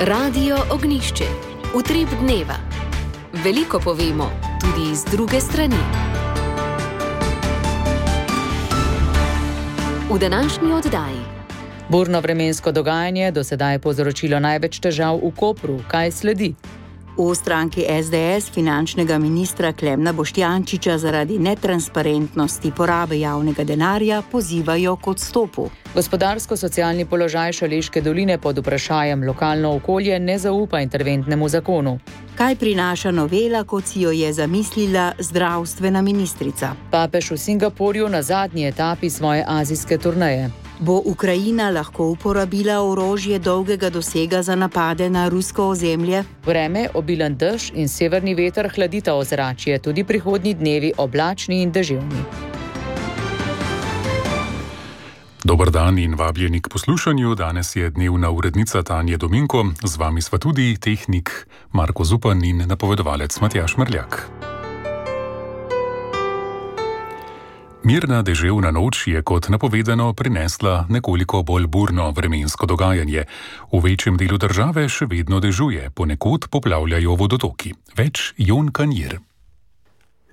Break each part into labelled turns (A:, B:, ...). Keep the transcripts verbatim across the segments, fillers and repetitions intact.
A: Radio Ognjišče. Utrip dneva. Veliko povemo, tudi iz druge strani. V današnji oddaji.
B: Burno vremensko dogajanje do sedaj povzročilo največ težav v Kopru. Kaj sledi?
C: V stranki es de es finančnega ministra Klemna Boštjančiča zaradi netransparentnosti porabe javnega denarja pozivajo k odstopu.
B: Gospodarsko-socialni položaj Šaleške doline pod vprašajem lokalno okolje ne zaupa interventnemu zakonu.
C: Kaj prinaša novela, kot si jo je zamislila zdravstvena ministrica?
B: Papež v Singapurju na zadnji etapi svoje azijske turneje.
C: Bo Ukrajina lahko uporabila orožje dolgega dosega za napade na rusko ozemlje?
B: Vreme, obilen dež in severni veter hladita ozračje, tudi prihodnji dnevi oblačni in deževni.
D: Dober dan in vabljeni k poslušanju. Danes je dnevna urednica Tanja Dominko, z vami sva tudi tehnik Marko Zupan in napovedovalec Matjaž Mrljak. Mirna deževna noč je kot napovedano prinesla nekoliko bolj burno vremensko dogajanje. V večjem delu države še vedno dežuje, ponekod poplavljajo vodotoki. Več Jon Kanjir.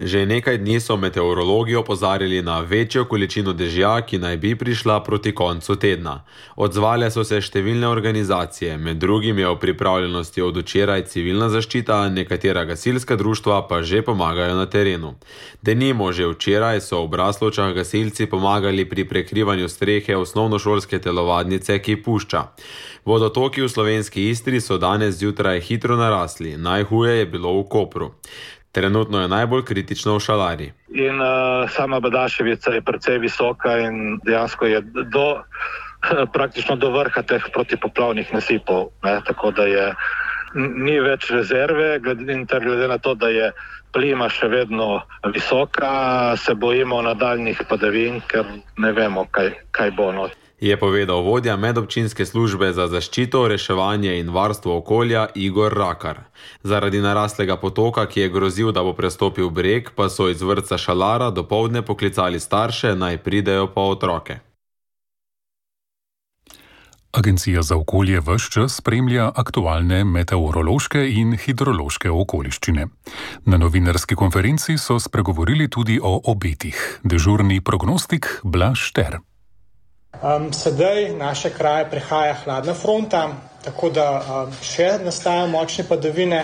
E: Že nekaj dni so meteorologi opozarjali na večjo količino dežja, ki naj bi prišla proti koncu tedna. Odzvale so se številne organizacije, med drugim je v pripravljenosti od včeraj civilna zaščita, nekatera gasilska društva pa že pomagajo na terenu. Denimo, že včeraj so v Braslovčah gasilci pomagali pri prekrivanju strehe osnovnošolske telovadnice, ki pušča. Vodotoki v slovenski Istri so danes zjutraj hitro narasli, najhuje je bilo v Kopru. Trenutno je najbolj kritično v Šalari.
F: In uh, sama Badaševica je precej visoka in dejansko je do, praktično do vrha teh protipoplavnih nasipov. Ne? Tako da je, ni več rezerve, glede, glede na to, da je plima še vedno visoka, se bojimo nadaljnih padavin, ker ne vemo, kaj, kaj bo not.
E: Je povedal vodja medobčinske službe za zaščito, reševanje in varstvo okolja Igor Rakar. Zaradi naraslega potoka, ki je grozil, da bo prestopil breg, pa so iz vrtca Šalara dopoldne poklicali starše, naj pridejo po otroke.
D: Agencija za okolje ves čas spremlja aktualne meteorološke in hidrološke okoliščine. Na novinarski konferenci so spregovorili tudi o obetih. Dežurni prognostik Blaž Šter.
G: Um, sedaj naše kraje prehaja hladna fronta, tako da um, še nastajajo močne padavine,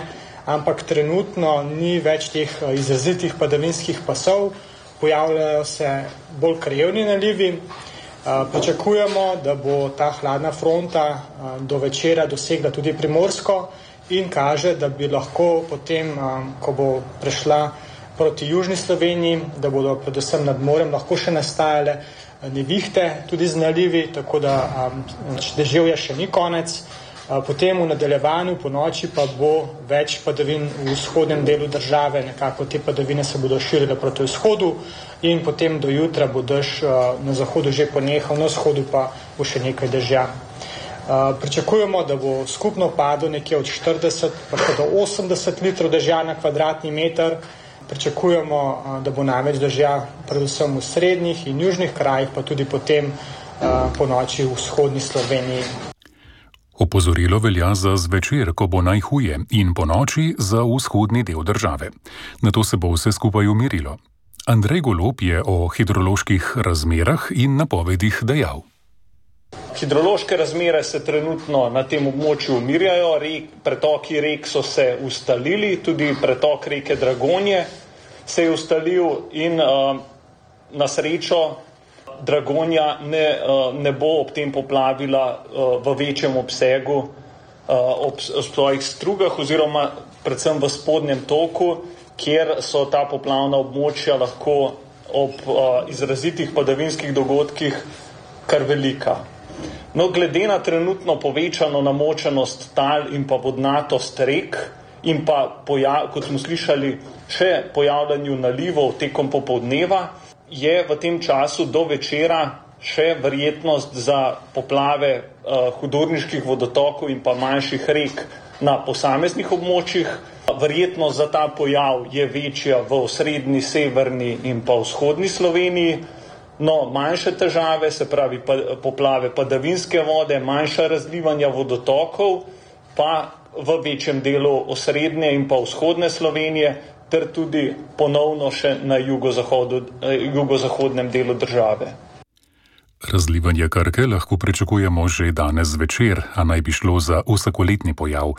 G: ampak trenutno ni več teh uh, izrazitih padavinskih pasov, pojavljajo se bolj krajevni nalivi. Uh, pričakujemo, da bo ta hladna fronta uh, do večera dosegla tudi Primorsko in kaže, da bi lahko potem, um, ko bo prešla proti južni Sloveniji, da bodo predvsem nad morem lahko še nastajale nevihte, tudi z nalivi, tako da um, deževja še ni konec. Uh, potem v nadaljevanju po noči pa bo več padavin v vzhodnem delu države, nekako te padavine se bodo širile proti vzhodu in potem do jutra bo dež uh, na zahodu že ponehal, na vzhodu pa bo še nekaj dežja. Uh, pričakujemo, da bo skupno padlo nekje od štirideset pa do osemdeset litrov dežja na kvadratni meter. Pričakujemo, da bo največ dežja predvsem v srednjih in južnih krajih, pa tudi potem po noči v vzhodni Sloveniji.
D: Opozorilo velja za zvečer, ko bo najhuje, in po noči za vzhodni del države. Nato se bo vse skupaj umirilo. Andrej Golob je o hidroloških razmerah in napovedih dejal.
H: Hidrološke razmere se trenutno na tem območju umirjajo, rek, pretoki rek so se ustalili, tudi pretok reke Dragonje se je ustalil in uh, na srečo Dragonja ne, uh, ne bo ob tem poplavila uh, v večjem obsegu uh, ob, ob svojih strugah oziroma predvsem v spodnjem toku, kjer so ta poplavna območja lahko ob uh, izrazitih padavinskih dogodkih kar velika. No, glede na trenutno povečano namočenost tal in pa vodnatost rek in pa, pojav, kot smo slišali, še pojavljanju nalivov tekom popoldneva, je v tem času do večera še verjetnost za poplave uh, hudourniških vodotokov in pa manjših rek na posameznih območjih. Verjetnost za ta pojav je večja v osrednji, severni in pa vzhodni Sloveniji. No, manjše težave, se pravi poplave padavinske vode, manjša razlivanja vodotokov pa v večjem delu osrednje in pa vzhodne Slovenije, ter tudi ponovno še na jugozahodu, jugozahodnem delu države.
D: Razlivanje Krke lahko pričakujemo že danes zvečer, a naj bi šlo za vsakoletni pojav.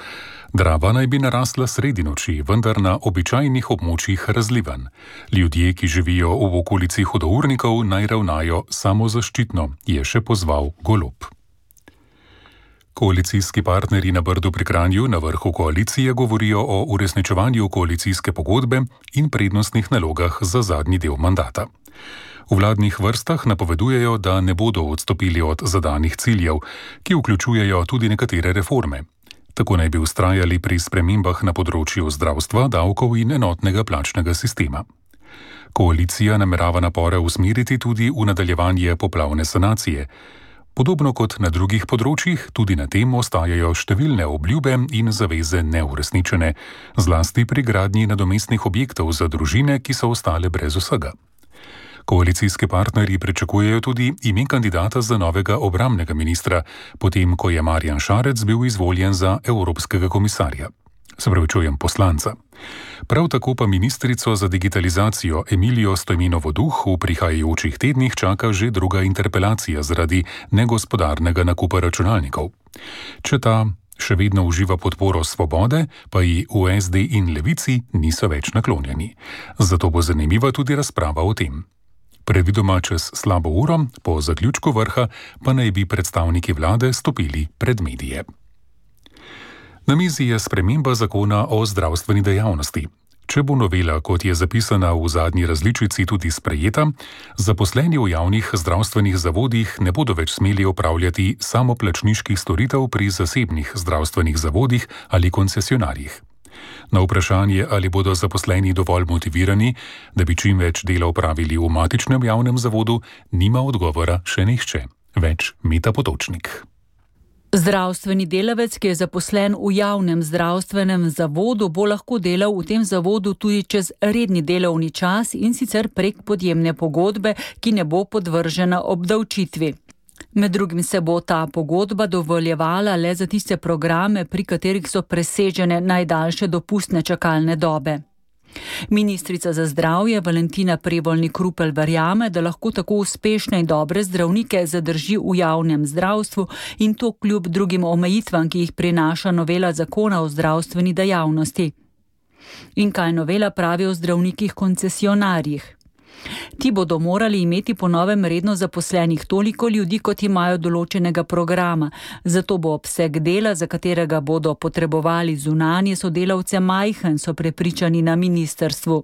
D: Drava naj bi narasla sredi noči, vendar na običajnih območjih razlivan. Ljudje, ki živijo v okolici hudournikov, naj ravnajo samozaščitno, je še pozval Golob. Koalicijski partnerji na Brdu pri Kranju na vrhu koalicije govorijo o uresničevanju koalicijske pogodbe in prednostnih nalogah za zadnji del mandata. V vladnih vrstah napovedujejo, da ne bodo odstopili od zadanih ciljev, ki vključujejo tudi nekatere reforme. Tako naj bi vztrajali pri spremembah na področju zdravstva, davkov in enotnega plačnega sistema. Koalicija namerava napore usmeriti tudi v nadaljevanje poplavne sanacije. Podobno kot na drugih področjih, tudi na tem ostajajo številne obljube in zaveze neuresničene, zlasti pri gradnji nadomestnih objektov za družine, ki so ostale brez vsega. Koalicijski partnerji pričakujejo tudi ime kandidata za novega obrambnega ministra, potem ko je Marjan Šarec bil izvoljen za evropskega komisarja. Se pravi, čujem poslanca. Prav tako pa ministrico za digitalizacijo Emilijo Stojmenovo Duh v prihajajočih tednih čaka že druga interpelacija zaradi negospodarnega nakupa računalnikov. Če ta še vedno uživa podporo Svobode, pa ji v S D in Levici niso več naklonjeni. Zato bo zanimiva tudi razprava o tem. Predvidoma čez slabo uro, po zaključku vrha, pa naj bi predstavniki vlade stopili pred medije. Na mizi je sprememba zakona o zdravstveni dejavnosti. Če bo novela, kot je zapisana v zadnji različici, tudi sprejeta, zaposleni v javnih zdravstvenih zavodih ne bodo več smeli opravljati samoplačniških storitev pri zasebnih zdravstvenih zavodih ali koncesionarjih. Na vprašanje, ali bodo zaposleni dovolj motivirani, da bi čim več dela opravili v matičnem javnem zavodu, nima odgovora še nihče. Več Meta Potočnik.
I: Zdravstveni delavec, ki je zaposlen v javnem zdravstvenem zavodu, bo lahko delal v tem zavodu tudi čez redni delovni čas in sicer prek podjemne pogodbe, ki ne bo podvržena obdavčitvi. Med drugim se bo ta pogodba dovoljevala le za tiste programe, pri katerih so presežene najdaljše dopustne čakalne dobe. Ministrica za zdravje Valentina Prevolnik Rupel verjame, da lahko tako uspešne in dobre zdravnike zadrži v javnem zdravstvu in to kljub drugim omejitvam, ki jih prinaša novela zakona o zdravstveni dejavnosti. In kaj novela pravi o zdravnikih koncesionarjih? Ti bodo morali imeti po novem redno zaposlenih toliko ljudi, kot imajo določenega programa, zato bo obseg dela, za katerega bodo potrebovali zunanje sodelavce, majhen, so prepričani na ministrstvu.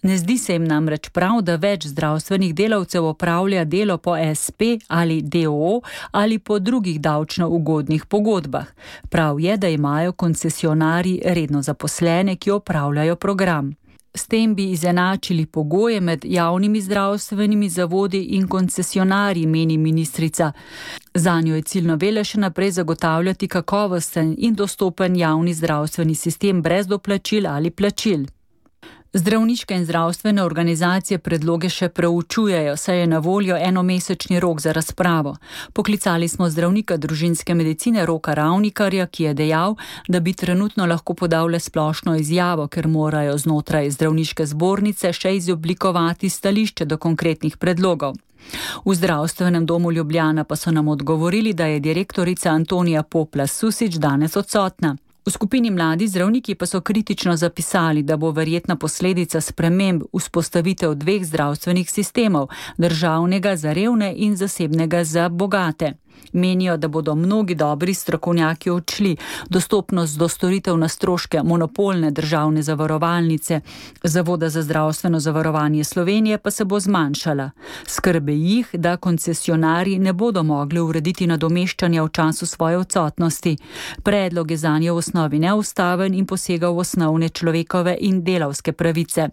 I: Ne zdi se jim namreč prav, da več zdravstvenih delavcev opravlja delo po S P ali D O O ali po drugih davčno ugodnih pogodbah. Prav je, da imajo koncesionarji redno zaposlene, ki opravljajo program. S tem bi izenačili pogoje med javnimi zdravstvenimi zavodi in koncesionarji, meni ministrica. Zanjo je cilj novele še naprej zagotavljati kakovosten in dostopen javni zdravstveni sistem brez doplačil ali plačil. Zdravniške in zdravstvene organizacije predloge še preučujejo, saj je na voljo enomesečni rok za razpravo. Poklicali smo zdravnika družinske medicine Roka Ravnikarja, ki je dejal, da bi trenutno lahko podal le splošno izjavo, ker morajo znotraj zdravniške zbornice še izoblikovati stališče do konkretnih predlogov. V zdravstvenem domu Ljubljana pa so nam odgovorili, da je direktorica Antonija Poplas Susič danes odsotna. V skupini Mladi zdravniki pa so kritično zapisali, da bo verjetna posledica sprememb vzpostavitev dveh zdravstvenih sistemov, državnega za revne in zasebnega za bogate. Menijo, da bodo mnogi dobri strokovnjaki odšli, dostopnost do storitev na stroške monopolne državne zavarovalnice, Zavoda za zdravstveno zavarovanje Slovenije pa se bo zmanjšala. Skrbe jih, da koncesionarji ne bodo mogli urediti nadomeščanja v času svoje odsotnosti. Predlog je zanje v osnovi neustaven in posega v osnovne človekove in delavske pravice.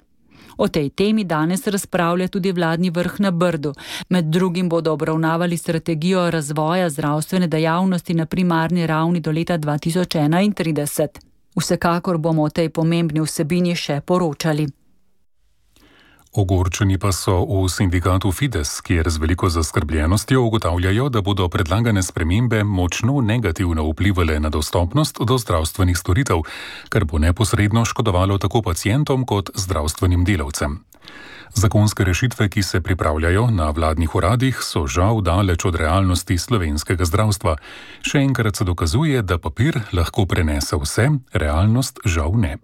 I: O tej temi danes razpravlja tudi vladni vrh na Brdu. Med drugim bodo obravnavali strategijo razvoja zdravstvene dejavnosti na primarni ravni do leta dva tisoč enaintrideset. Vsekakor bomo o tej pomembni vsebini še poročali.
D: Ogorčeni pa so v sindikatu Fides, kjer z veliko zaskrbljenostjo ugotavljajo, da bodo predlagane spremembe močno negativno vplivale na dostopnost do zdravstvenih storitev, kar bo neposredno škodovalo tako pacientom kot zdravstvenim delavcem. Zakonske rešitve, ki se pripravljajo na vladnih uradih, so žal daleč od realnosti slovenskega zdravstva. Še enkrat se dokazuje, da papir lahko prenese vse, realnost žal ne.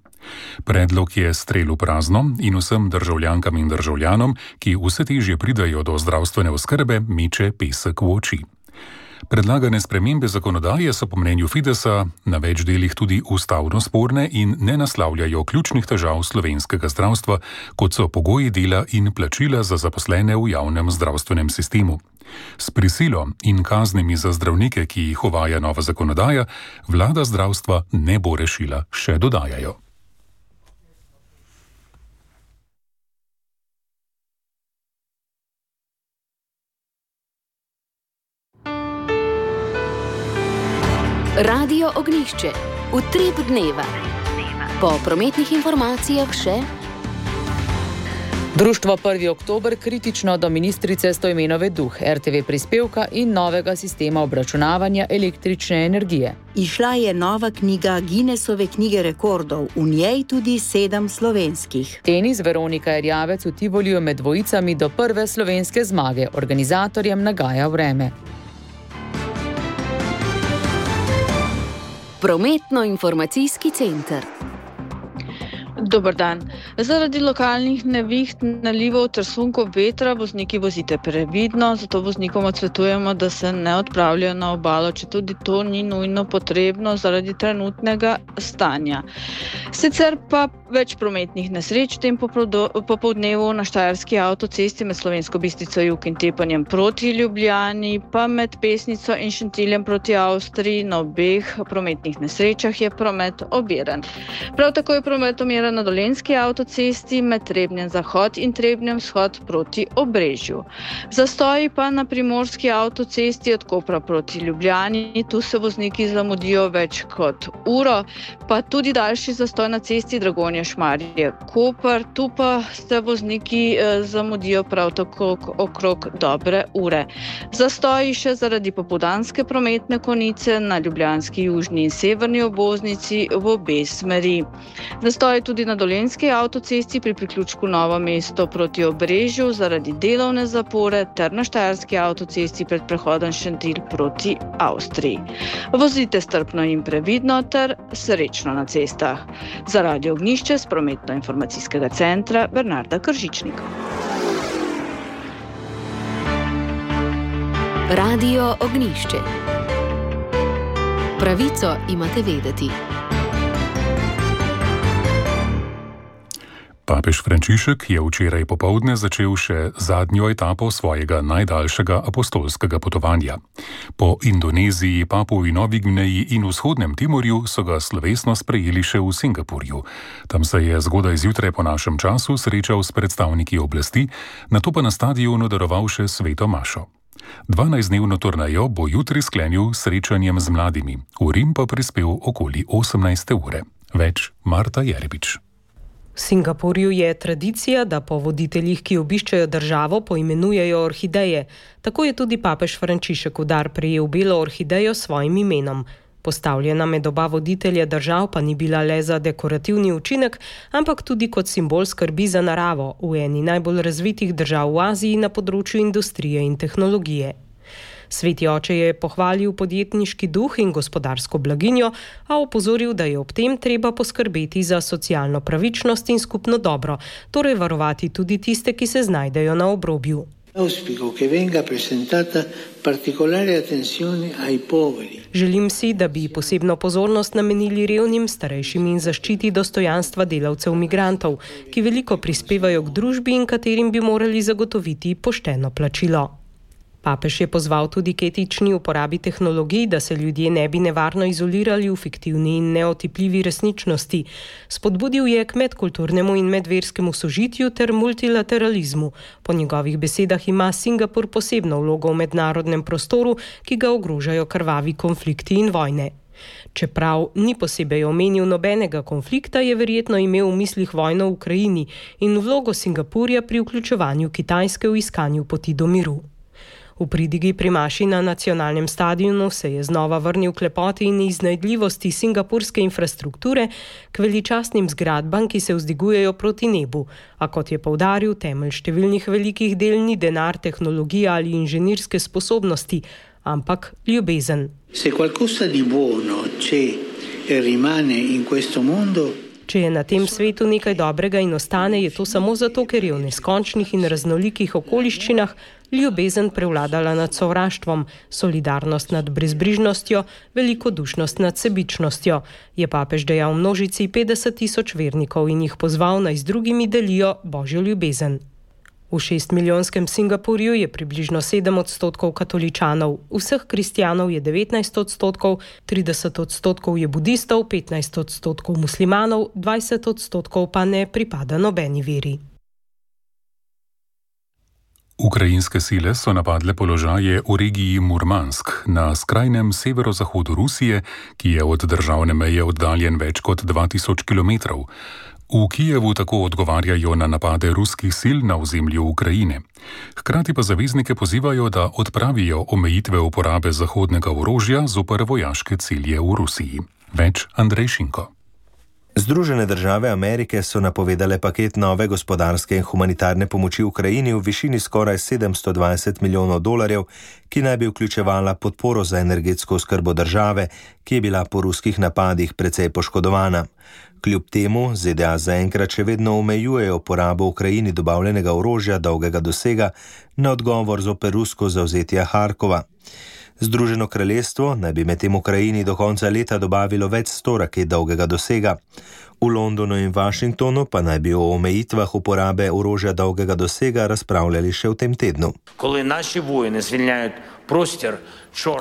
D: Predlog je strel v prazno in vsem državljankam in državljanom, ki vse težje pridajo do zdravstvene oskrbe, meče pesek v oči. Predlagane spremembe zakonodaje so po mnenju Fidesa na več delih tudi ustavno sporne in ne naslavljajo ključnih težav slovenskega zdravstva, kot so pogoji dela in plačila za zaposlene v javnem zdravstvenem sistemu. S prisilo in kaznimi za zdravnike, ki jih uvaja nova zakonodaja, vlada zdravstva ne bo rešila, še dodajajo.
A: Radio Ognjišče. Utrip dneva. Po prometnih informacijah še.
B: Društvo prvi oktober kritično do ministrice Stojmenove Duh, er te ve prispevka in novega sistema obračunavanja električne energije.
C: Izšla je nova knjiga Guinnessove knjige rekordov, v njej tudi sedem slovenskih.
B: Tenis Veronika Erjavec v Tivoliju med dvojicami do prve slovenske zmage, organizatorjem nagaja vreme.
A: Prometno-informacijski center.
J: Dober dan. Zaradi lokalnih neviht, nalivov ter sunkov vetra vozniki vozite previdno, zato voznikom odsvetujemo, da se ne odpravljajo na obalo, če tudi to ni nujno potrebno zaradi trenutnega stanja. Sicer pa več prometnih nesreč v tem popoldnevu na Štajerski avtocesti med Slovensko Bistrico jug in Tepanjem proti Ljubljani, pa med Pesnico in Šentiljem proti Avstriji. Na obeh prometnih nesrečah je promet oviran. Prav tako je promet oviran na Dolenjski avtocesti med Trebnjem zahod in Trebnjem vzhod proti Obrežju. Zastoji pa na Primorski avtocesti od Kopra proti Ljubljani. Tu se vozniki zamudijo več kot uro, pa tudi daljši zastoj na cesti Dragonja Šmarje Koper. Tu pa se vozniki eh, zamudijo prav tako okrog dobre ure. Zastoji še zaradi popoldanske prometne konice na ljubljanski južni in severni obvoznici v obe smeri. Zastoji tudi na Dolenjski avtocesti pri priključku Novo mesto proti Obrežju zaradi delovne zapore ter na Štajerski avtocesti pred prehodom Šentilj proti Avstriji. Vozite strpno in previdno ter srečno na cestah. Za Radio Ognjišče z prometno-informacijskega centra Bernarda Kržičnik.
A: Radio Ognjišče. Pravico imate vedeti.
D: Papež Frančišek je včeraj popoldne začel še zadnjo etapo svojega najdaljšega apostolskega potovanja. Po Indoneziji, Papuji Novi Gvineji in vzhodnem Timorju so ga slovesno sprejeli še v Singapurju. Tam se je zgodaj zjutraj po našem času srečal s predstavniki oblasti, nato pa na stadionu daroval še sveto mašo. dvanajstdnevno turnejo bo jutri sklenil s srečanjem z mladimi. V Rim pa prispel okoli osemnajste ure. Več Marta Jerebič.
K: V Singapurju je tradicija, da po voditeljih, ki obiščejo državo, poimenujejo orhideje. Tako je tudi papež Frančišek v dar prejel belo orhidejo s svojim imenom. Postavljena med oba voditelja držav pa ni bila le za dekorativni učinek, ampak tudi kot simbol skrbi za naravo v eni najbolj razvitih držav v Aziji na področju industrije in tehnologije. Sveti oče je pohvalil podjetniški duh in gospodarsko blaginjo, a opozoril, da je ob tem treba poskrbeti za socialno pravičnost in skupno dobro, torej varovati tudi tiste, ki se znajdejo na obrobju. Želim si, da bi posebno pozornost namenili revnim, starejšim in zaščiti dostojanstva delavcev migrantov, ki veliko prispevajo k družbi in katerim bi morali zagotoviti pošteno plačilo. Papež je pozval tudi k etični uporabi tehnologij, da se ljudje ne bi nevarno izolirali v fiktivni in neotipljivi resničnosti. Spodbudil je k medkulturnemu in medverskemu sožitju ter multilateralizmu. Po njegovih besedah ima Singapur posebno vlogo v mednarodnem prostoru, ki ga ogrožajo krvavi konflikti in vojne. Čeprav ni posebej omenil nobenega konflikta, je verjetno imel v mislih vojno v Ukrajini in vlogo Singapurja pri vključevanju Kitajske v iskanju poti do miru. V pridigi pri maši na nacionalnem stadionu se je znova vrnil k lepoti in iznajdljivosti singapurske infrastrukture, k veličastnim zgradbam, ki se vzdigujejo proti nebu, a kot je poudaril, temelj številnih velikih del ni denar, tehnologija ali inženirske sposobnosti, ampak ljubezen.
L: Se qualcosa di buono c'è e rimane in questo mondo.
K: Če je na tem svetu nekaj dobrega in ostane, je to samo zato, ker je v neskončnih in raznolikih okoliščinah ljubezen prevladala nad sovraštvom, solidarnost nad brezbrižnostjo, velikodušnost nad sebičnostjo, je papež dejal množici petdeset tisoč vernikov in jih pozval, naj z drugimi delijo božjo ljubezen. V šestmilijonskem Singapurju je približno sedem odstotkov katoličanov, vseh kristjanov je devetnajst odstotkov, trideset odstotkov je budistov, petnajst odstotkov muslimanov, dvajset odstotkov pa ne pripada nobeni veri.
D: Ukrajinske sile so napadle položaje v regiji Murmansk na skrajnem severozahodu Rusije, ki je od državne meje oddaljen več kot dva tisoč kilometrov. V Kijevu tako odgovarjajo na napade ruskih sil na ozemlju Ukrajine. Hkrati pa zaveznike pozivajo, da odpravijo omejitve uporabe zahodnega orožja zoper vojaške cilje v Rusiji. Več Andrej Šinko.
M: Združene države Amerike so napovedale paket nove gospodarske in humanitarne pomoči Ukrajini v višini skoraj sedemsto dvajset milijonov dolarjev, ki naj bi vključevala podporo za energetsko oskrbo države, ki je bila po ruskih napadih precej poškodovana. Kljub temu Z D A zaenkrat še vedno omejujejo porabo Ukrajini dobavljenega orožja dolgega dosega na odgovor zoper rusko zavzetje Harkova. Združeno kraljestvo naj bi medtem Ukrajini do konca leta dobavilo več sto raket dolgega dosega. V Londonu in Washingtonu pa naj bi o omejitvah uporabe orožja dolgega dosega razpravljali še v tem tednu.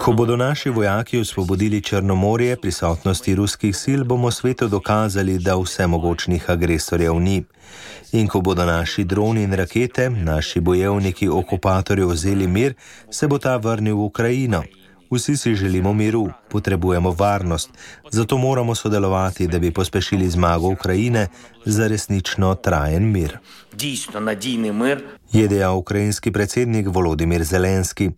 M: Ko bodo naši vojaki osvobodili Črnomorje prisotnosti ruskih sil, bomo svetu dokazali, da vsemogočnih agresorjev ni. In ko bodo naši droni in rakete, naši bojevniki okupatorjev vzeli mir, se bo ta vrnil v Ukrajino. Vsi si želimo miru, potrebujemo varnost, zato moramo sodelovati, da bi pospešili zmago Ukrajine za resnično trajen mir. Je dejal ukrajinski predsednik Volodimir Zelenski.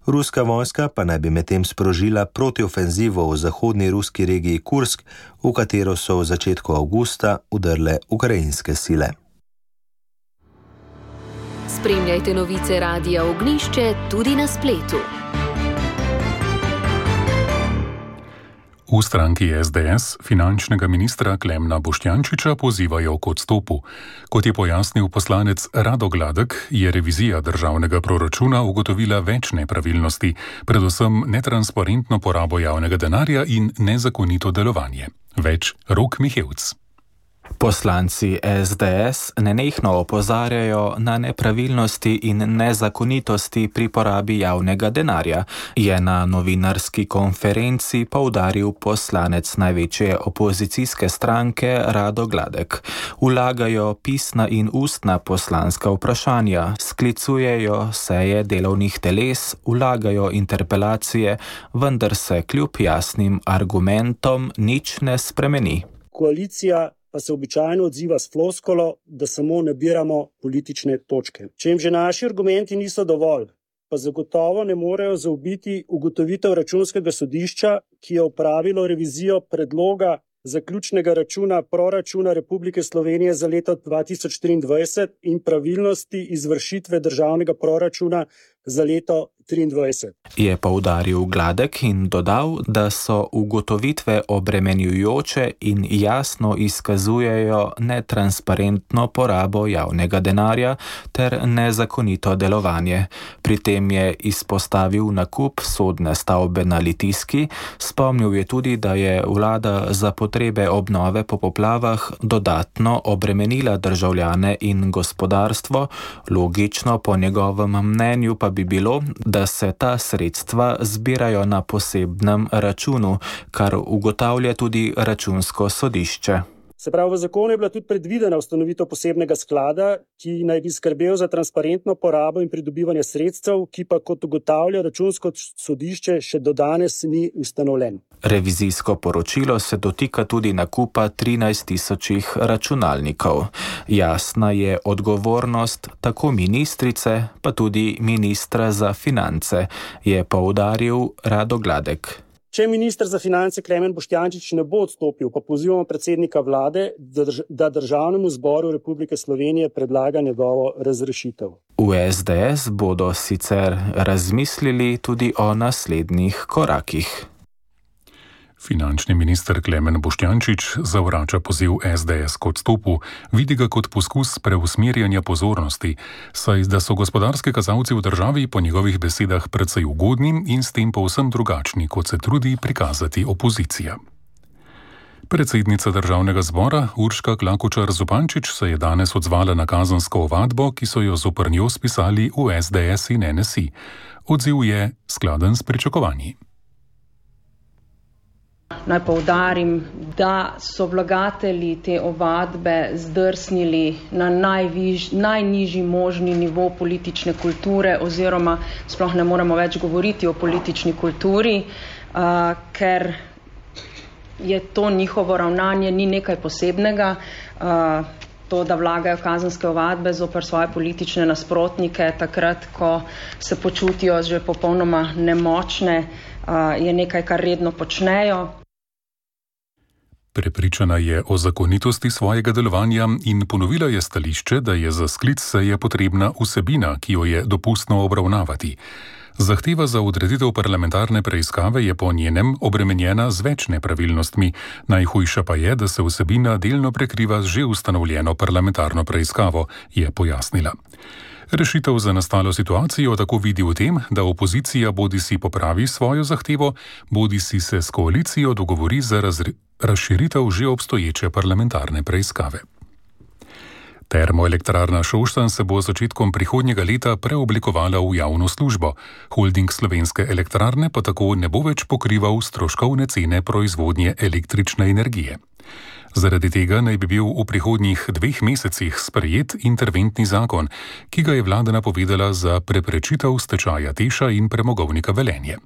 M: Ruska vojska pa naj bi medtem sprožila protiofenzivo v zahodni ruski regiji Kursk, v katero so v začetku avgusta vdrle ukrajinske sile.
A: Spremljajte novice Radia Ognjišče tudi na spletu.
D: V stranki S D S finančnega ministra Klemna Boštjančiča pozivajo k odstopu. Kot je pojasnil poslanec Rado Gladek, je revizija državnega proračuna ugotovila več nepravilnosti, predvsem netransparentno porabo javnega denarja in nezakonito delovanje. Več Rok Mihevc.
N: Poslanci S D S nenehno opozarjajo na nepravilnosti in nezakonitosti pri porabi javnega denarja, je na novinarski konferenci poudaril poslanec največje opozicijske stranke Rado Gladek. Vlagajo pisna in ustna poslanska vprašanja, sklicujejo seje delovnih teles, vlagajo interpelacije, vendar se kljub jasnim argumentom nič ne spremeni.
O: Koalicija pa se običajno odziva s floskolo, da samo nabiramo politične točke. Če jim že naši argumenti niso dovolj, pa zagotovo ne morejo zaobiti ugotovitev računskega sodišča, ki je opravilo revizijo predloga zaključnega računa proračuna Republike Slovenije za leto dva tisoč triindvajset in pravilnosti izvršitve državnega proračuna za leto triindvajset.
N: Je poudaril Gladek in dodal, da so ugotovitve obremenjujoče in jasno izkazujejo netransparentno porabo javnega denarja ter nezakonito delovanje. Pri tem je izpostavil nakup sodne stavbe na Litijski, spomnil je tudi, da je vlada za potrebe obnove po poplavah dodatno obremenila državljane in gospodarstvo, logično po njegovem mnenju pa bi bilo, da se ta sredstva zbirajo na posebnem računu, kar ugotavlja tudi računsko sodišče.
O: Se pravi, v zakonu je bila tudi predvidena ustanovitev posebnega sklada, ki naj bi skrbel za transparentno porabo in pridobivanje sredstev, ki pa, kot ugotavlja Računsko sodišče, še do danes ni ustanovljen.
N: Revizijsko poročilo se dotika tudi nakupa trinajst tisočih računalnikov. Jasna je odgovornost tako ministrice, pa tudi ministra za finance, je poudaril Rado Gladek.
O: Če minister za finance Klemen Boštjančič ne bo odstopil, pa pozivamo predsednika vlade, da Državnemu zboru Republike Slovenije predlaga njegovo razrešitev.
N: V es de es bodo sicer razmislili tudi o naslednjih korakih.
D: Finančni minister Klemen Boštjančič zavrača poziv es de es k odstopu, vidi ga kot poskus preusmerjanja pozornosti, saj da so gospodarski kazalci v državi po njegovih besedah precej ugodni in s tem povsem drugačni, kot se trudi prikazati opozicija. Predsednica Državnega zbora Urška Klakočar Zupančič se je danes odzvala na kazensko ovadbo, ki so jo zoper njo spisali v es de es in en es i. Odziv je skladen s pričakovanji.
P: Naj poudarim, da so vlagatelji te ovadbe zdrsnili na najviž, najnižji možni nivo politične kulture oziroma sploh ne moremo več govoriti o politični kulturi, uh, ker je to njihovo ravnanje ni nekaj posebnega. Uh, to, da vlagajo kazenske ovadbe zoper svoje politične nasprotnike takrat, ko se počutijo že popolnoma nemočne, je nekaj, kar redno počnejo.
D: Prepričana je o zakonitosti svojega delovanja in ponovila je stališče, da je za sklic seje potrebna vsebina, ki jo je dopustno obravnavati. Zahteva za odreditev parlamentarne preiskave je po njenem obremenjena z več nepravilnostmi, najhujša pa je, da se vsebina delno prekriva z že ustanovljeno parlamentarno preiskavo, je pojasnila. Rešitev za nastalo situacijo tako vidi v tem, da opozicija bodisi popravi svojo zahtevo, bodisi se s koalicijo dogovori za razširitev že obstoječe parlamentarne preiskave. Termoelektrarna Šoštanj se bo z začetkom prihodnjega leta preoblikovala v javno službo. Holding Slovenske elektrarne pa tako ne bo več pokrival stroškovne cene proizvodnje električne energije. Zaradi tega naj bi bil v prihodnjih dveh mesecih sprejet interventni zakon, ki ga je vlada napovedala za preprečitev stečaja Teša in premogovnika Velenje.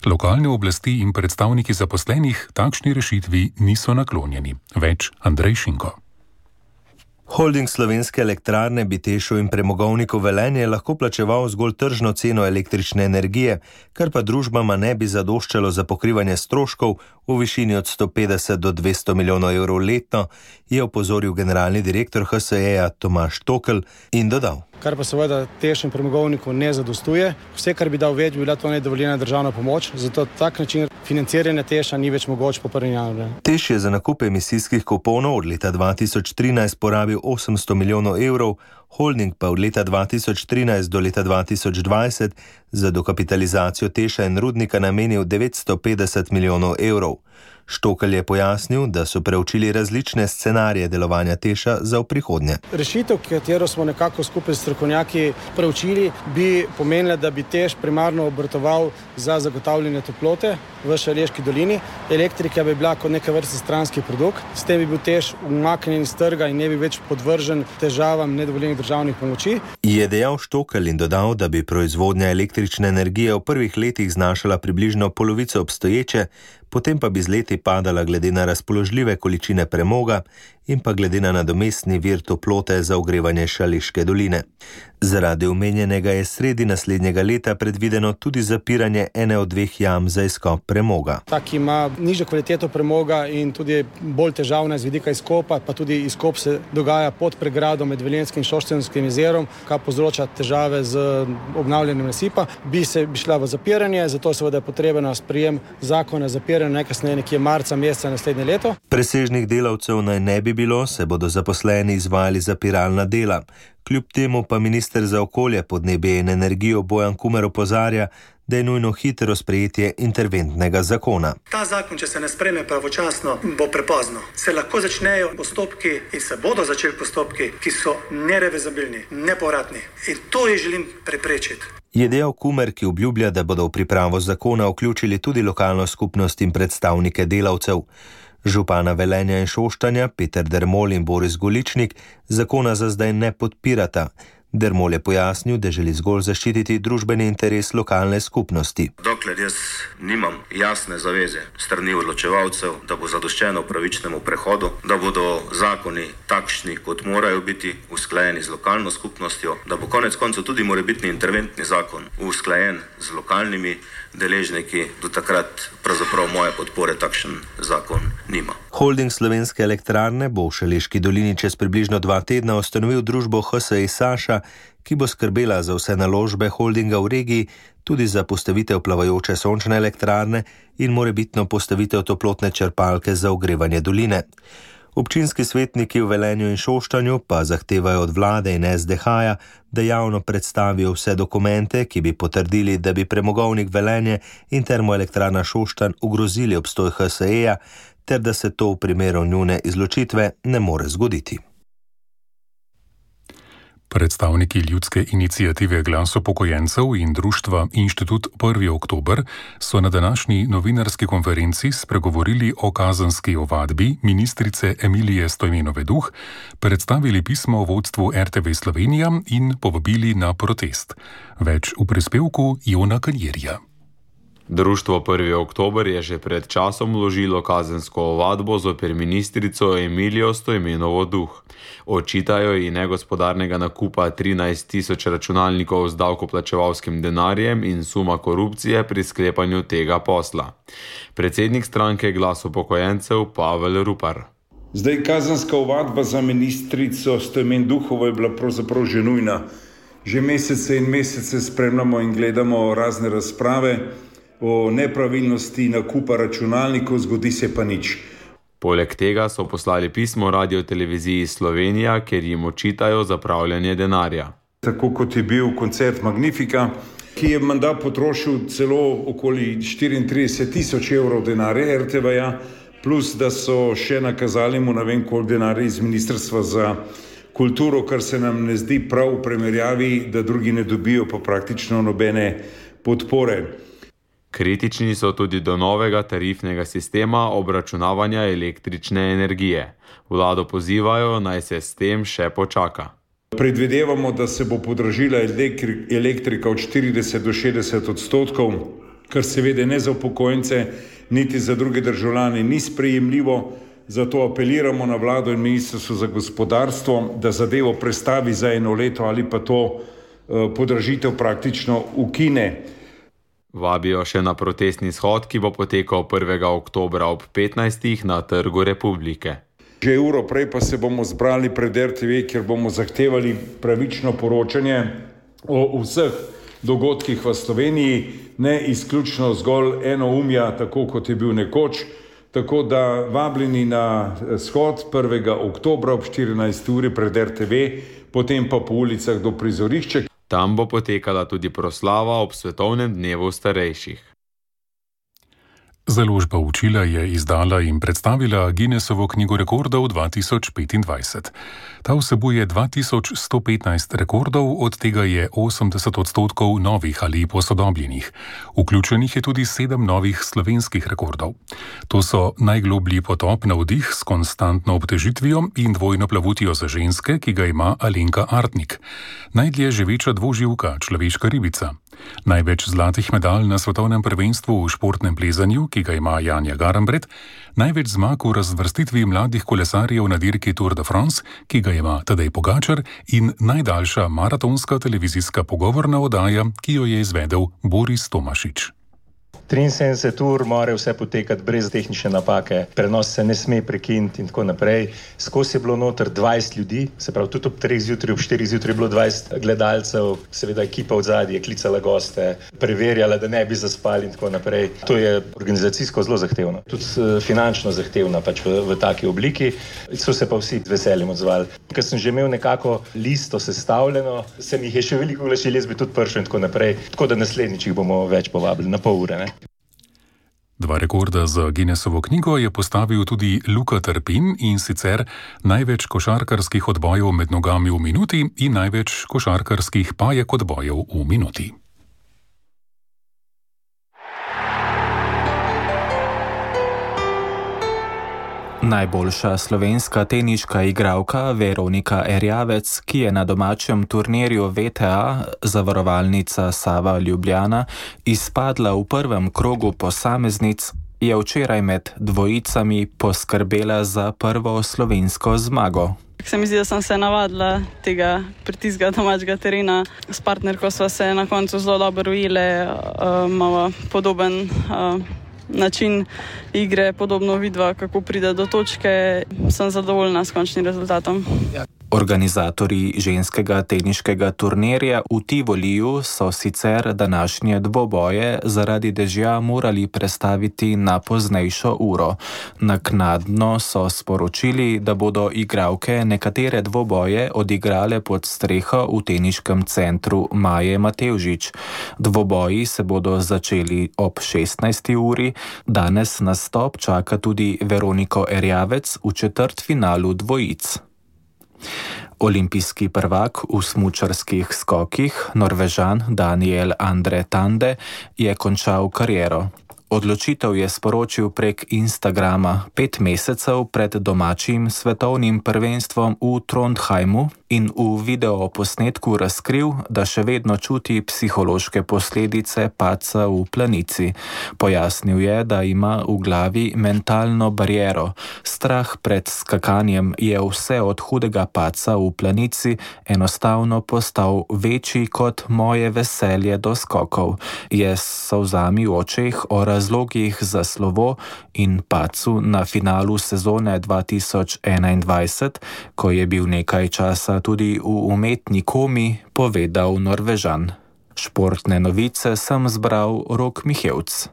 D: Lokalne oblasti in predstavniki zaposlenih takšni rešitvi niso naklonjeni. Več Andrej Šinko.
M: Holding Slovenske elektrarne bi Tešu in premogovniku Velenje lahko plačeval zgolj tržno ceno električne energije, kar pa družbama ne bi zadoščalo za pokrivanje stroškov v višini od sto petdeset do dvesto milijonov evrov letno, je opozoril generalni direktor ha es e-ja Tomaž Tokel in dodal.
Q: Kar pa seveda Teš in premogovniku ne zadostuje. Vse, kar bi dal več, bi bila to nedovoljena državna pomoč, zato tak način financiranja Teša ni več mogoč po prvem januarju.
M: Teš je za nakup emisijskih kuponov od leta dva tisoč trinajst porabil osemsto milijonov evrov, holding pa od leta dva tisoč trinajst do leta dva tisoč dvajset za dokapitalizacijo Teša in rudnika namenil devetsto petdeset milijonov evrov. Štokelj je pojasnil, da so preučili različne scenarije delovanja Teša za v prihodnje.
Q: Rešitev, katero smo nekako skupaj s strokovnjaki preučili, bi pomenila, da bi Teš primarno obratoval za zagotavljanje toplote v Šaleški dolini. Elektrika bi bila kot neka vrsta stranski produkt, s tem bi bil Teš umaknjen iz trga in ne bi več podvržen težavam nedovoljenih državnih pomoči.
M: Je dejal Štokelj in dodal, da bi proizvodnja električne energije v prvih letih znašala približno polovico obstoječe, potem pa bi z leti padala glede na razpoložljive količine premoga in pa glede na nadomestni vir toplote za ogrevanje Šaleške doline. Zaradi omenjenega je sredi naslednjega leta predvideno tudi zapiranje ene od dveh jam za izkop premoga.
Q: Tak ima nižjo kvaliteto premoga in tudi bolj težavna z vidika izkopa, pa tudi izkop se dogaja pod pregrado med Velenjskim in Šoštanjskim jezerom, kar povzroča težave z obnavljanjem nasipa. Bi se bi šla v zapiranje, zato seveda je potrebno sprejem zakona zapiranja najkasneje nekje marca meseca naslednje leto.
M: Presežnih delavcev naj ne bi bilo, se bodo zaposleni izvajali zapiralna dela. Kljub temu pa minister za okolje, podnebje in energijo Bojan Kumer opozarja, da je nujno hitro sprejetje interventnega zakona.
R: Ta zakon, če se ne sprejme pravočasno, bo prepozno. Se lahko začnejo postopki in se bodo začeli postopki, ki so nerevezabilni, nepovratni. In to je želim preprečiti.
M: Je dejal Kumer, ki obljublja, da bodo v pripravo zakona vključili tudi lokalno skupnost in predstavnike delavcev. Župana Velenja in Šoštanja Peter Dermol in Boris Goličnik zakona za zdaj ne podpirata. Dermol je pojasnil, da želi zgolj zaščititi družbeni interes lokalne skupnosti.
S: Dokler jaz nimam jasne zaveze strani odločevalcev, da bo zadoščeno pravičnemu prehodu, da bodo zakoni takšni, kot morajo biti, usklajeni z lokalno skupnostjo, da bo konec koncev tudi morebitni interventni zakon usklajen z lokalnimi deležniki, do takrat pravzaprav moje podpore takšen zakon nima.
M: Holding Slovenske elektrarne bo v Šaleški dolini čez približno dva tedna ustanovil družbo H S E Saša, ki bo skrbela za vse naložbe holdinga v regiji, tudi za postavitev plavajoče sončne elektrarne in morebitno postavitev toplotne črpalke za ogrevanje doline. Občinski svetniki v Velenju in Šoštanju pa zahtevajo od vlade in S D H-ja, da javno predstavijo vse dokumente, ki bi potrdili, da bi premogovnik Velenje in termoelektrarna Šoštanj ogrozili obstoj H S E-ja, ter da se to v primeru njune izločitve ne more zgoditi.
D: Predstavniki ljudske iniciative Glas upokojencev in društva Inštitut prvi oktober so na današnji novinarski konferenci spregovorili o kazenski ovadbi ministrice Emilije Stojmenove Duh, predstavili pismo vodstvu R T V Slovenija in povabili na protest. Več v prispevku Jona Kanjerja.
E: Društvo prvi oktober je že pred časom vložilo kazensko ovadbo zoper ministrico Emilijo Stojmenovo Duh. Očitajo ji negospodarnega nakupa trinajst tisoč računalnikov z davkoplačevalskim denarjem in suma korupcije pri sklepanju tega posla. Predsednik stranke Glas upokojencev Pavel Rupar.
T: Zdaj, kazenska ovadba za ministrico Stojmen Duhovo je bila pravzaprav že nujna. Že mesece in mesece spremljamo in gledamo razne razprave o nepravilnosti nakupa računalnikov, zgodi se pa nič.
E: Poleg tega so poslali pismo Radioteleviziji Slovenija, ker jim očitajo zapravljanje denarja.
T: Tako kot je bil koncert Magnifica, ki je menda potrošil celo okoli štiriintrideset tisoč evrov denarja R T V-ja, plus da so še nakazali mu ne vem koliko denarja iz Ministrstva za kulturo, kar se nam ne zdi prav v primerjavi, da drugi ne dobijo pa praktično nobene podpore.
E: Kritični so tudi do novega tarifnega sistema obračunavanja električne energije. Vlado pozivajo, naj se s tem še počaka.
T: Predvidevamo, da se bo podražila elektrika od štirideset do šestdeset odstotkov, kar seveda ne za upokojence, niti za druge državljane ni sprejemljivo. Zato apeliramo na vlado in ministrstvo za gospodarstvo, da zadevo prestavi za eno leto ali pa to podražitev praktično ukine.
E: Vabijo še na protestni shod, ki bo potekal prvega oktobra ob petnajstih na Trgu Republike.
T: Že uro prej pa se bomo zbrali pred R T V, kjer bomo zahtevali pravično poročanje o vseh dogodkih v Sloveniji, ne izključno zgolj enoumja, tako kot je bil nekoč. Tako da vabljeni na shod prvega oktobra ob štirinajsti uri pred R T V, potem pa po ulicah do prizorišča.
E: Tam bo potekala tudi proslava ob svetovnem dnevu starejših.
D: Založba Učila je izdala in predstavila Guinnessovo knjigo rekordov dva tisoč petindvajset. Ta vsebuje dva tisoč sto petnajst rekordov, od tega je osemdeset odstotkov novih ali posodobljenih. Vključenih je tudi sedem novih slovenskih rekordov. To so najgloblji potop na vdih s konstantno obtežitvijo in dvojno plavutijo za ženske, ki ga ima Alenka Artnik. Najdlje živeča dvoživka, človeška ribica. Največ zlatih medalj na svetovnem prvenstvu v športnem plezanju, ki ga ima Janja Garambret, največ zmag v razvrstitvi mladih kolesarjev na dirki Tour de France, ki ga ima Tadej Pogačar, in najdaljša maratonska televizijska pogovorna oddaja, ki jo je izvedel Boris Tomašič.
U: triinsedemdeset ur mora vse potekati brez tehnične napake, prenos se ne sme prekiniti in tako naprej. Skozi je bilo noter dvajset ljudi, se pravi tudi ob treh zjutraj, ob štirih zjutraj je bilo dvajset gledalcev, seveda ekipa od zadaj je klicala goste, preverjala, da ne bi zaspali in tako naprej. To je organizacijsko zelo zahtevno, tudi finančno zahtevno pač v, v taki obliki. So se pa vsi z veseljem odzvali. Ker sem že imel nekako listo sestavljeno, se mi je še veliko oglašil, jaz bi tudi prišel in tako naprej. Tako da naslednjič jih bomo več povabili, na pol ure, ne?
D: Dva rekorda za Guinnessovo knjigo je postavil tudi Luka Trpin, in sicer največ košarkarskih odbojev med nogami v minuti in največ košarkarskih pajek odbojev v minuti.
N: Najboljša slovenska teniška igralka Veronika Erjavec, ki je na domačem turnirju V T A zavarovalnica Sava Ljubljana izpadla v prvem krogu posameznic, je včeraj med dvojicami poskrbela za prvo slovensko zmago.
F: Se mi zdi, da sem se navadila tega pritiska domačega terena. S partnerko sva se na koncu zelo dobro ujele, uh, imamo podoben uh, način igre, podobno vidva, kako pride do točke. Sem zadovoljna s končnim rezultatom.
N: Organizatorji ženskega teniškega turnirja v Tivoliju so sicer današnje dvoboje zaradi dežja morali prestaviti na poznejšo uro. Naknadno so sporočili, da bodo igralke nekatere dvoboje odigrale pod streho v teniškem centru Maje Matevžič. Dvoboji se bodo začeli ob šestnajsti uri. Danes nastop čaka tudi Veroniko Erjavec v četrtfinalu dvojic. Olimpijski prvak v smučarskih skokih, Norvežan Daniel Andre Tande, je končal kariero. Odločitev je sporočil prek Instagrama pet mesecev pred domačim svetovnim prvenstvom v Trondheimu in v videoposnetku razkril, da še vedno čuti psihološke posledice padca v planici. Pojasnil je, da ima v glavi mentalno bariero. Strah pred skakanjem je vse od hudega padca v planici enostavno postal večji kot moje veselje do skokov. Je s solzami v očeh o razlogih za slovo in padcu na finalu sezone dva tisoč enaindvajset, ko je bil nekaj časa tudi v umetni komi, povedal Norvežan. Športne novice sem zbral Rok Mihevc.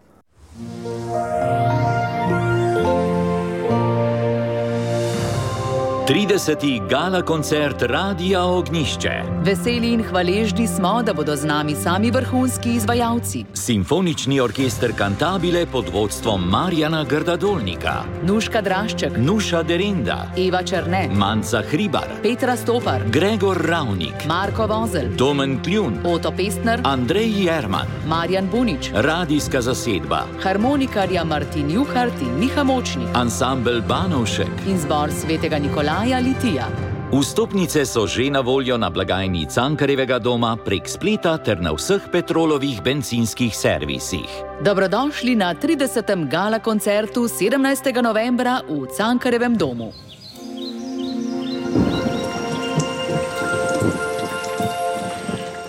V: trideseti gala koncert Radia Ognjišče.
B: Veseli in hvaležni smo, da bodo z nami sami vrhunski izvajalci.
V: Simfonični orkester Cantabile pod vodstvom Marjana Grdadolnika.
B: Nuška Drašček,
V: Nuša Derinda,
B: Eva Černe,
V: Manca Hribar,
B: Petra Stopar,
V: Gregor Ravnik,
B: Marko Vozel,
V: Domen Kljun,
B: Oto Pestner,
V: Andrej Jerman,
B: Marjan Bunič,
V: radijska zasedba,
B: harmonikarja Martin Juhart in Miha Močnik,
V: ansambel Banovšek
B: in zbor svetega Nikolaja Litija.
V: Vstopnice so že na voljo na blagajni Cankarjevega doma prek spleta ter na vseh Petrolovih bencinskih servisih.
B: Dobrodošli na tridesetem gala koncertu sedemnajstega novembra v Cankarjevem domu.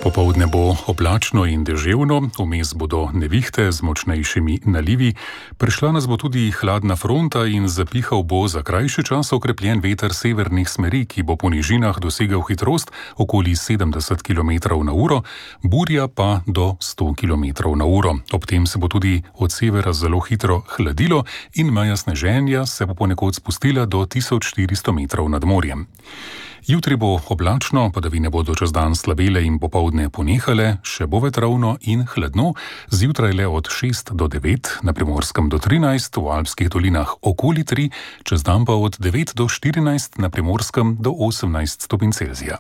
D: Popoldne bo oblačno in deževno, vmes bodo nevihte z močnejšimi nalivi, prišla nas bo tudi hladna fronta in zapihal bo za krajši čas okrepljen veter severnih smeri, ki bo po nižinah dosegel hitrost okoli sedemdeset kilometrov na uro, burja pa do sto kilometrov na uro. Ob tem se bo tudi od severa zelo hitro hladilo in meja sneženja se bo ponekod spustila do tisoč štiristo metrov nad morjem. Jutri bo oblačno, padavine bodo čez dan slabele in popoldne ponehale, še bo vetrovno in hladno, zjutraj le od šest do devet, na Primorskem do trinajst, v Alpskih dolinah okoli tri, čez dan pa od devet do štirinajst, na Primorskem do osemnajst stopinj Celzija.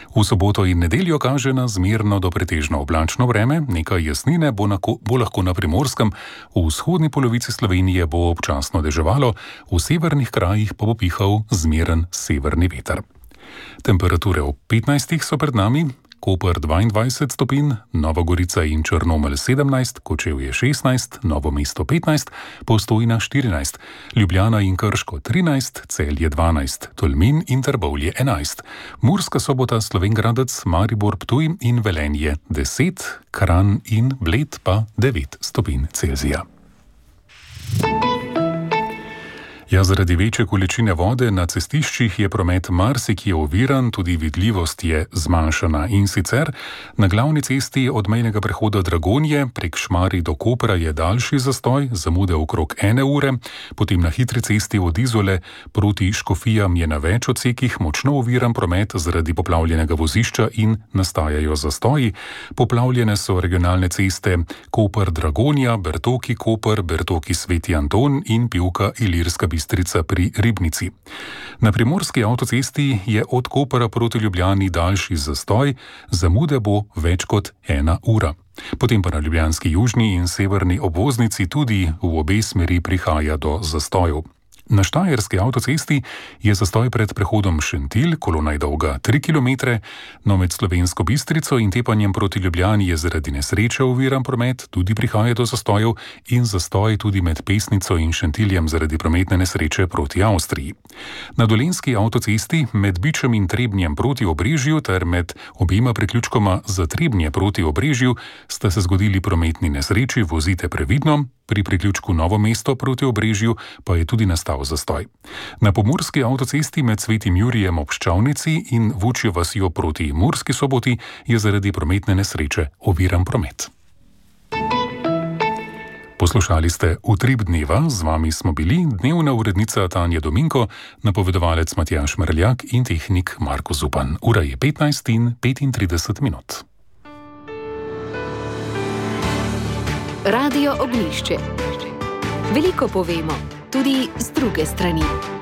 D: V soboto in nedeljo kaže na zmerno do pretežno oblačno vreme, nekaj jasnine bo, na, bo lahko na Primorskem, v vzhodni polovici Slovenije bo občasno deževalo, v severnih krajih pa bo pihal zmeren severni veter. Temperature ob petnajstih so pred nami, Koper dvaindvajset stopinj, Nova Gorica in Črnomelj sedemnajst, Kočevje šestnajst, Novo mesto petnajst, Postojna štirinajst, Ljubljana in Krško trinajst, Celje dvanajst, Tolmin in Trbovlje enajst, Murska Sobota, Slovenj Gradec, Maribor, Ptuj in Velenje deset, Kranj in Bled pa devet stopinj Celzija. Ja, zaradi večje količine vode na cestiščih je promet marsikje oviran, tudi vidljivost je zmanjšana. In sicer na glavni cesti od mejnega prehoda Dragonje prek Šmarij do Kopra je daljši zastoj, zamude okrog ene ure, potem na hitri cesti od Izole proti Škofijam je na več odsekih močno oviran promet zaradi poplavljenega vozišča in nastajajo zastoji. Poplavljene so regionalne ceste Koper-Dragonja, Bertoki-Koper, Bertoki-Sveti Anton in Pivka Ilirska Bistrica pri Ribnici. Na primorski avtocesti je od Kopra proti Ljubljani daljši zastoj, zamude bo več kot ena ura. Potem pa na ljubljanski južni in severni obvoznici tudi v obe smeri prihaja do zastojev. Na štajerski avtocesti je zastoj pred prehodom Šentilj, kolona je dolga tri kilometre, no med Slovensko Bistrico in tepanjem proti Ljubljani je zaradi nesreče oviran promet, tudi prihaja do zastojev in zastoj tudi med Pesnico in Šentiljem zaradi prometne nesreče proti Avstriji. Na dolenjski avtocesti med Bičem in Trebnjem proti Obrežju ter med obema priključkoma za Trebnje proti Obrežju sta se zgodili prometni nesreči, vozite previdno. Pri priključku Novo mesto proti Obrežju pa je tudi nastal zastoj. Na pomurski avtocesti med Svetim Jurijem ob Ščavnici in Vučjo vasjo proti Murski Soboti je zaradi prometne nesreče oviran promet. Poslušali ste Utrip dneva, z vami smo bili dnevna urednica Tanja Dominko, napovedovalec Matjaž Merljak in tehnik Marko Zupan. Ura je petnajst in petintrideset minut.
A: Radio Ognjišče. Veliko povemo, tudi z druge strani.